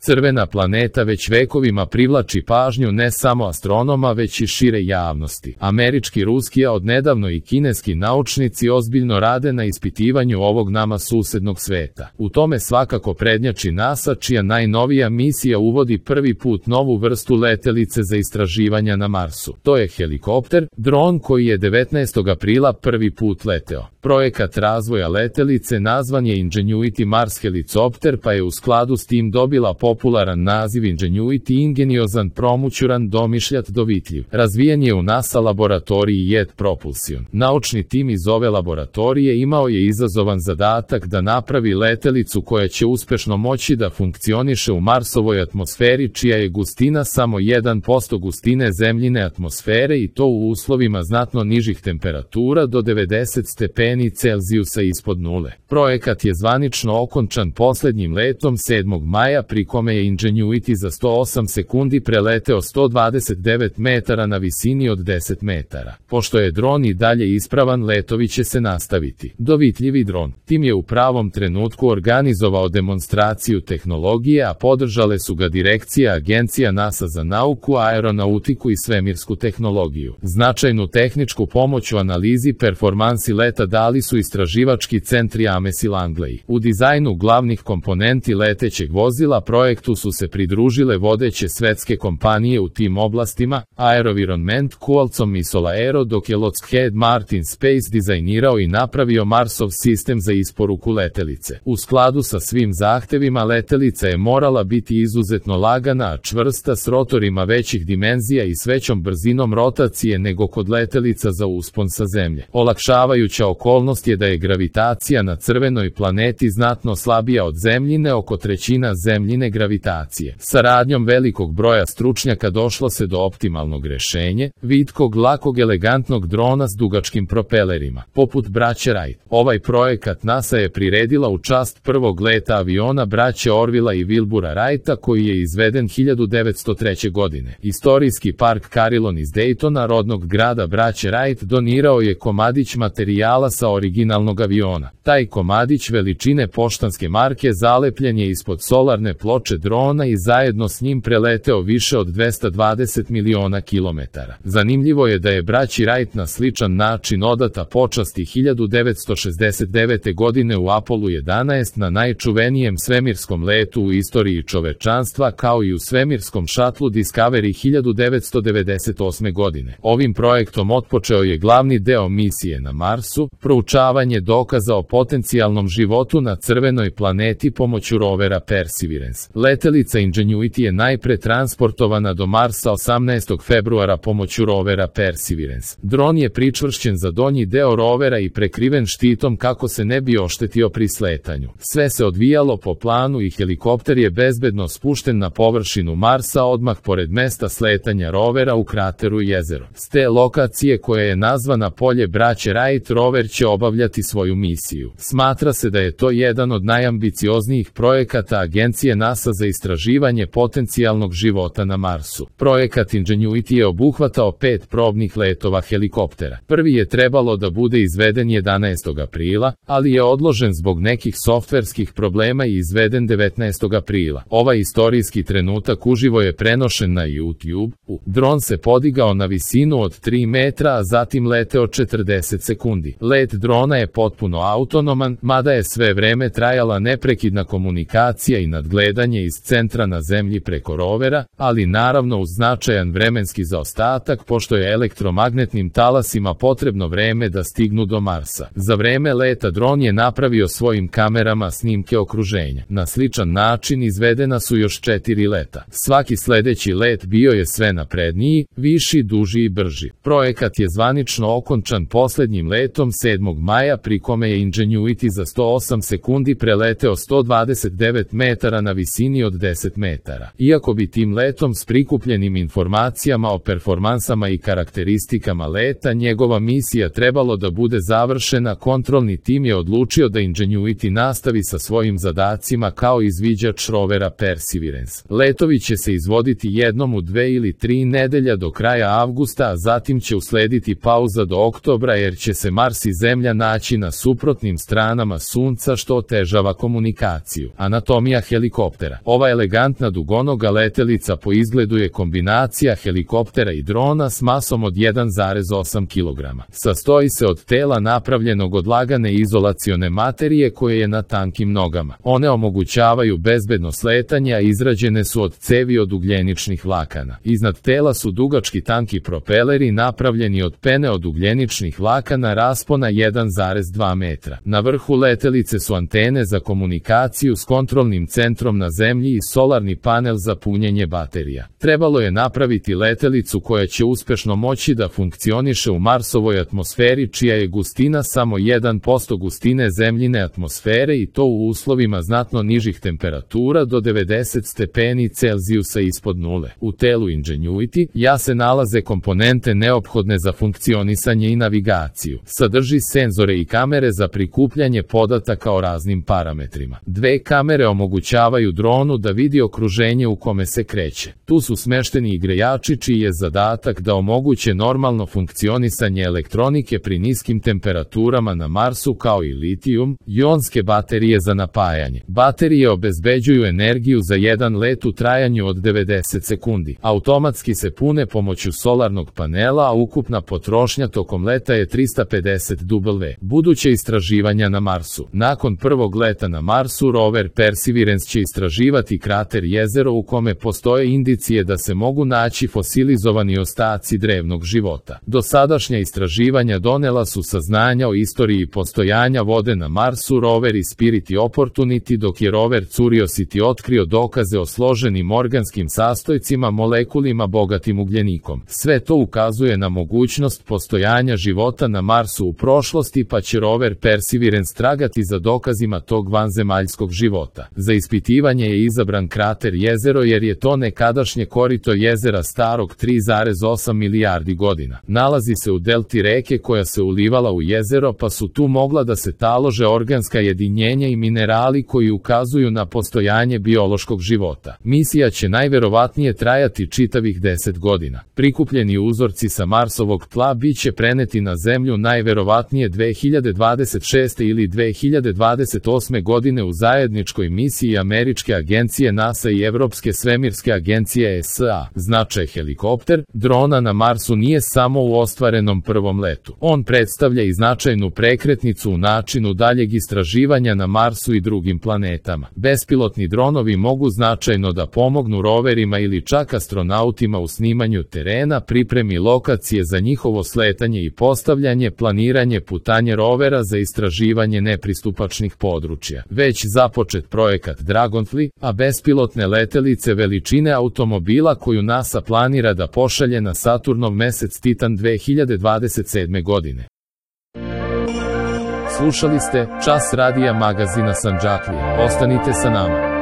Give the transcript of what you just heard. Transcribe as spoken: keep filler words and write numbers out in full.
Crvena planeta već vekovima privlači pažnju ne samo astronoma već i šire javnosti. Američki, ruski, a odnedavno i kineski naučnici ozbiljno rade na ispitivanju ovog nama susednog sveta. U tome svakako prednjači NASA, čija najnovija misija uvodi prvi put novu vrstu letelice za istraživanja na Marsu. To je helikopter, dron koji je devetnaestog aprila prvi put leteo. Projekat razvoja letelice nazvan je Ingenuity Mars Helicopter, pa je u skladu s tim dobila popularan naziv Ingenuity, ingeniozan, promućuran, domišljat, dovitljiv. Razvijen je u NASA laboratoriji Jet Propulsion. Naučni tim iz ove laboratorije imao je izazovan zadatak da napravi letelicu koja će uspešno moći da funkcioniše u Marsovoj atmosferi, čija je gustina samo jedan posto gustine zemljine atmosfere, i to u uslovima znatno nižih temperatura do devedeset stepeni Celzijusa ispod nule. Projekat je zvanično okončan poslednjim letom sedmog maja, pri kome je Ingenuity za sto osam sekundi preleteo sto dvadeset devet metara na visini od deset metara. Pošto je dron i dalje ispravan, letovi će se nastaviti. Dovitljivi dron. Tim je u pravom trenutku organizovao demonstraciju tehnologije, a podržale su ga direkcija agencija NASA za nauku, aeronautiku i svemirsku tehnologiju. Značajnu tehničku pomoć u analizi performansi leta dali su istraživački centri Ames i Langley. U dizajnu glavnih komponenti letećeg vozila projektu su se pridružile vodeće svetske kompanije u tim oblastima, Aerovironment, Qualcomm i Solaero, dok je Lockheed Martin Space dizajnirao i napravio Marsov sistem za isporuku letelice. U skladu sa svim zahtevima, letelica je morala biti izuzetno lagana, a čvrsta, s rotorima većih dimenzija i s većom brzinom rotacije nego kod letelica za uspon sa Zemlje. Olakšavajuća okolnost je da je gravitacija na crvenoj planeti znatno slabija od Zemljine, oko trećina Zemljine gravitacije. Saradnjom velikog broja stručnjaka došlo se do optimalnog rešenja, vitkog, lakog, elegantnog drona s dugačkim propelerima. Poput braće Wright, ovaj projekat NASA je priredila u čast prvog leta aviona braće Orvilla i Wilbura Wrighta, koji je izveden hiljadu devetsto treće. godine. Istorijski park Carillon iz Daytona, rodnog grada braće Wright, donirao je komadić materijala sa originalnog aviona. Taj komadić veličine poštanske marke zalepljen je ispod solarne ploče drona i zajedno s njim preleteo više od dvesta dvadeset miliona kilometara. Zanimljivo je da je braći Wright na sličan način odata počasti hiljadu devetsto šezdeset devete. godine u Apollo jedanaest, na najčuvenijem svemirskom letu u istoriji čovečanstva, kao i u svemirskom šatlu Discovery hiljadu devetsto devedeset osme. godine. Ovim projektom otpočeo je glavni deo misije na Marsu, proučavanje dokaza o potencijalnom životu na crvenoj planeti pomoću rovera Perseverance. Letelica Ingenuity je najpre transportovana do Marsa osamnaestog februara pomoću rovera Perseverance. Dron je pričvršćen za donji deo rovera i prekriven štitom kako se ne bi oštetio pri sletanju. Sve se odvijalo po planu i helikopter je bezbedno spušten na površinu Marsa odmah pored mesta sletanja rovera u krateru Jezero. S te lokacije, koja je nazvana Polje braće Wright, rover će obavljati svoju misiju. Smatra se da je to jedan od najambicioznijih projekata agencije NASA za istraživanje potencijalnog života na Marsu. Projekat Ingenuity je obuhvatao pet probnih letova helikoptera. Prvi je trebalo da bude izveden jedanaestog aprila, ali je odložen zbog nekih softverskih problema i izveden devetnaestog aprila. Ovaj istorijski trenutak uživo je prenošen na YouTube. Dron se podigao na visinu od tri metra, a zatim leteo četrdeset sekundi. Let drona je potpuno autonoman, mada je sve vreme trajala neprekidna komunikacija i nadgledanje iz centra na Zemlji preko rovera, ali naravno uz značajan vremenski zaostatak, pošto je elektromagnetnim talasima potrebno vreme da stignu do Marsa. Za vreme leta dron je napravio svojim kamerama snimke okruženja. Na sličan način izvedena su još četiri leta. Svaki sledeći let bio je sve napredniji, viši, duži i brži. Projekat je zvanično okončan poslednjim letom sedmog maja, pri kome je Ingenuity za sto osam sekundi preleteo sto dvadeset devet metara na visini od deset metara. Iako bi tim letom s prikupljenim informacijama o performansama i karakteristikama leta njegova misija trebalo da bude završena, kontrolni tim je odlučio da Ingenuity nastavi sa svojim zadacima kao izviđač rovera Perseverance. Letovi će se izvoditi jednom u dve ili tri nedelja do kraja avgusta, a zatim će uslediti pauza do oktobra jer će se Mars i Zemlja naći na suprotnim stranama Sunca, što otežava komunikaciju. Anatomija helikoptera. helikoptera. Ova elegantna dugonoga letelica po izgledu je kombinacija helikoptera i drona s masom od jedan zarez osam kilograma. Sastoji se od tela napravljenog od lagane izolacione materije koje je na tankim nogama. One omogućavaju bezbedno sletanje, a izrađene su od cevi od ugljeničnih vlakana. Iznad tela su dugački tanki propeleri napravljeni od pene od ugljeničnih vlakana raspona jedan zarez dva metra. Na vrhu letelice su antene za komunikaciju s kontrolnim centrom na zemlji i solarni panel za punjenje baterija. Trebalo je napraviti letelicu koja će uspešno moći da funkcioniše u Marsovoj atmosferi, čija je gustina samo jedan posto gustine zemljine atmosfere, i to u uslovima znatno nižih temperatura do devedeset stepeni Celzijusa ispod nule. U telu Ingenuity ja se nalaze komponente neophodne za funkcionisanje i navigaciju. Sadrži senzore i kamere za prikupljanje podataka o raznim parametrima. Dve kamere omogućavaju dronu da vidi okruženje u kome se kreće. Tu su smešteni i grejači čiji je zadatak da omoguće normalno funkcionisanje elektronike pri niskim temperaturama na Marsu, kao i litijum-ionske baterije za napajanje. Baterije obezbeđuju energiju za jedan let u trajanju od devedeset sekundi. Automatski se pune pomoću solarnog panela, a ukupna potrošnja tokom leta je trista pedeset W. Buduće istraživanja na Marsu. Nakon prvog leta na Marsu, rover Perseverance će istraživati krater jezero u kome postoje indicije da se mogu naći fosilizovani ostaci drevnog života. Dosadašnja istraživanja donela su saznanja o istoriji postojanja vode na Marsu. Rover Spirit i Opportunity, dok je rover Curiosity otkrio dokaze o složenim organskim sastojcima, molekulima bogatim ugljenikom. Sve to ukazuje na mogućnost postojanja života na Marsu u prošlosti, pa će rover Perseverance tragati za dokazima tog vanzemaljskog života. Za ispitivanje je izabran krater jezero jer je to nekadašnje korito jezera starog tri zarez osam milijardi godina. Nalazi se u delti reke koja se ulivala u jezero, pa su tu mogla da se talože organska jedinjenja i minerali koji ukazuju na postojanje biološkog života. Misija će najverovatnije trajati čitavih deset godina. Prikupljeni uzorci sa Marsovog tla biće preneti na Zemlju najverovatnije dve hiljade dvadeset šeste ili dve hiljade dvadeset osme godine u zajedničkoj misiji američke agencije NASA i Evropske svemirske agencije E S A. Značaj helikopter drona na Marsu nije samo u ostvarenom prvom letu. On predstavlja i značajnu prekretnicu u načinu daljeg istraživanja na Marsu i drugim planetama. Bespilotni dronovi mogu značajno da pomognu roverima ili čak astronautima u snimanju terena, pripremi lokacije za njihovo sletanje i postavljanje, planiranje putanje rovera za istraživanje nepristupačnih područja. Već započet projekat Dragonfly, a bespilotne letelice veličine automobila koju NASA planira da pošalje na Saturnov mesec Titan dve hiljade dvadeset sedme godine. Slušali ste Čas radija magazina Sandžaklija. Ostanite sa nama.